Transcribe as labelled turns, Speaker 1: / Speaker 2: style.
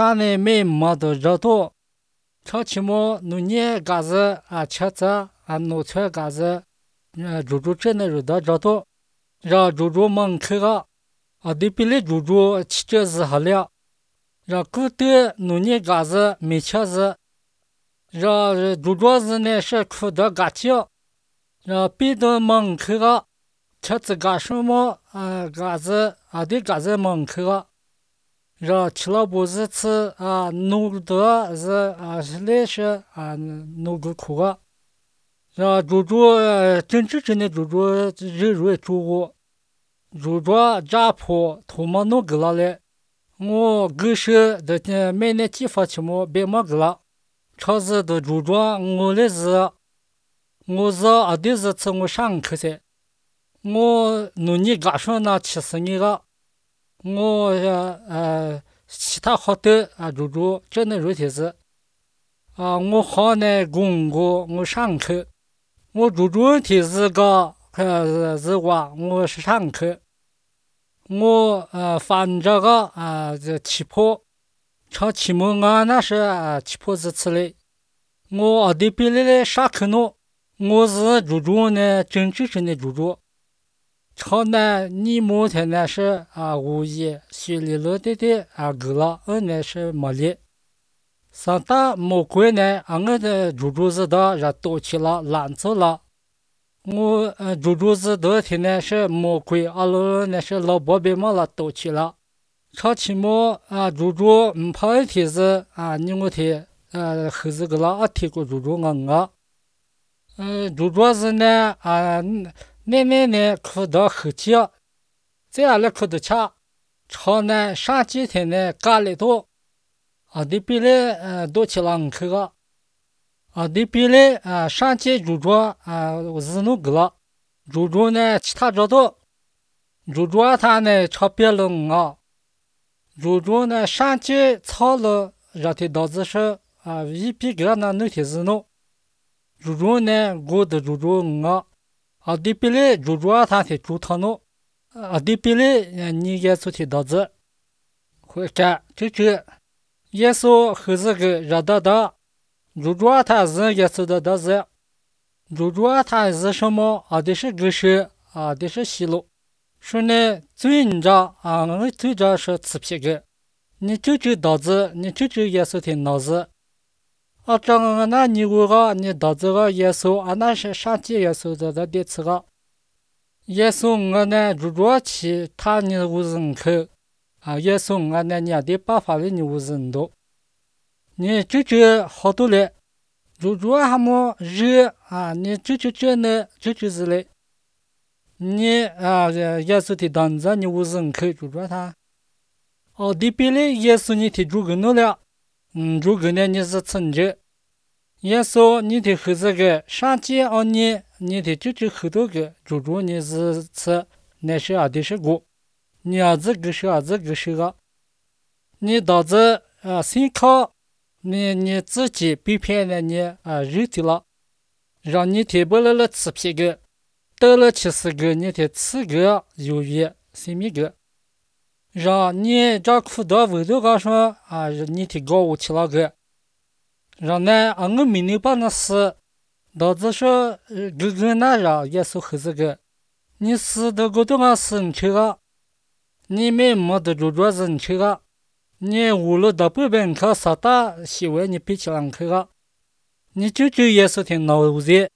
Speaker 1: 他呢没么的热度，超起么农业嘎子车子农村嘎子猪猪真的有的热度，让猪猪门口对比例猪猪汽车是好了，让古代农业嘎子没车子，让猪猪是呢是苦的嘎叫，让别的门口车子嘎什么嘎子对嘎子门口让吃了不是吃弄的是来是弄个苦让猪猪真正的猪猪肉肉猪炸破土毛弄个了嘞，我狗是的买那几发起么别么个了，超市的猪我的是我是的是吃我上课噻，我农业干什那70年个。我其他好的猪真的肉体是我好呢公我上课，我猪体是个是我是上课，我翻这个这起坡，长期末那是起坡是吃的，我的比例的上课呢，我是猪呢真正的猪。超呢，你目前呢是无意学里路的够了，呢是没力。三大魔鬼呢，我的猪是的让都去了，拦走了。我猪是的天呢是魔鬼，了呢是老伯别么了都去了。超期末猪跑一天是你我天后子个了天过猪猪是呢奶哭到后期，这样来哭的吃，超呢上几天呢干了多，对比例多起了口个，对比例上几猪是弄个了，猪呢其他找到，猪它呢超别了猪呢上几操了，让它导致是一比个那那天是弄，猪呢我的猪对比例猪它的猪汤呢，对比例你也做的导致，会干这耶稣后这个热的猪它是耶稣的是，猪它是什么的是个是的是西路，说呢最着我最着是吃皮个，你这导致你这耶稣的脑子。这个那你你导致个耶稣那是上帝耶稣的第次个耶稣我呢猪去他你无人口耶稣我呢你的办法了你无人多，你这好多嘞，猪还没热你这呢这是嘞，你耶稣的当着你无人口猪他对比嘞耶稣你的猪个弄了。猪个呢你是存着，耶稣你的后这个上街你的这后头个猪你是吃，那是的是过，你这个是个，你导致先靠你自己被骗了你肉体了，让你提不了吃皮个，得了70个你的吃个有余生命个。让你这苦到味道高说你提高我去了个，让呢我没能把那死，导致说个那让耶稣后这个，你死的个都死你去个，你没的猪是你去个，你无论到北边看啥大喜欢你比起来去个，你耶稣挺脑子。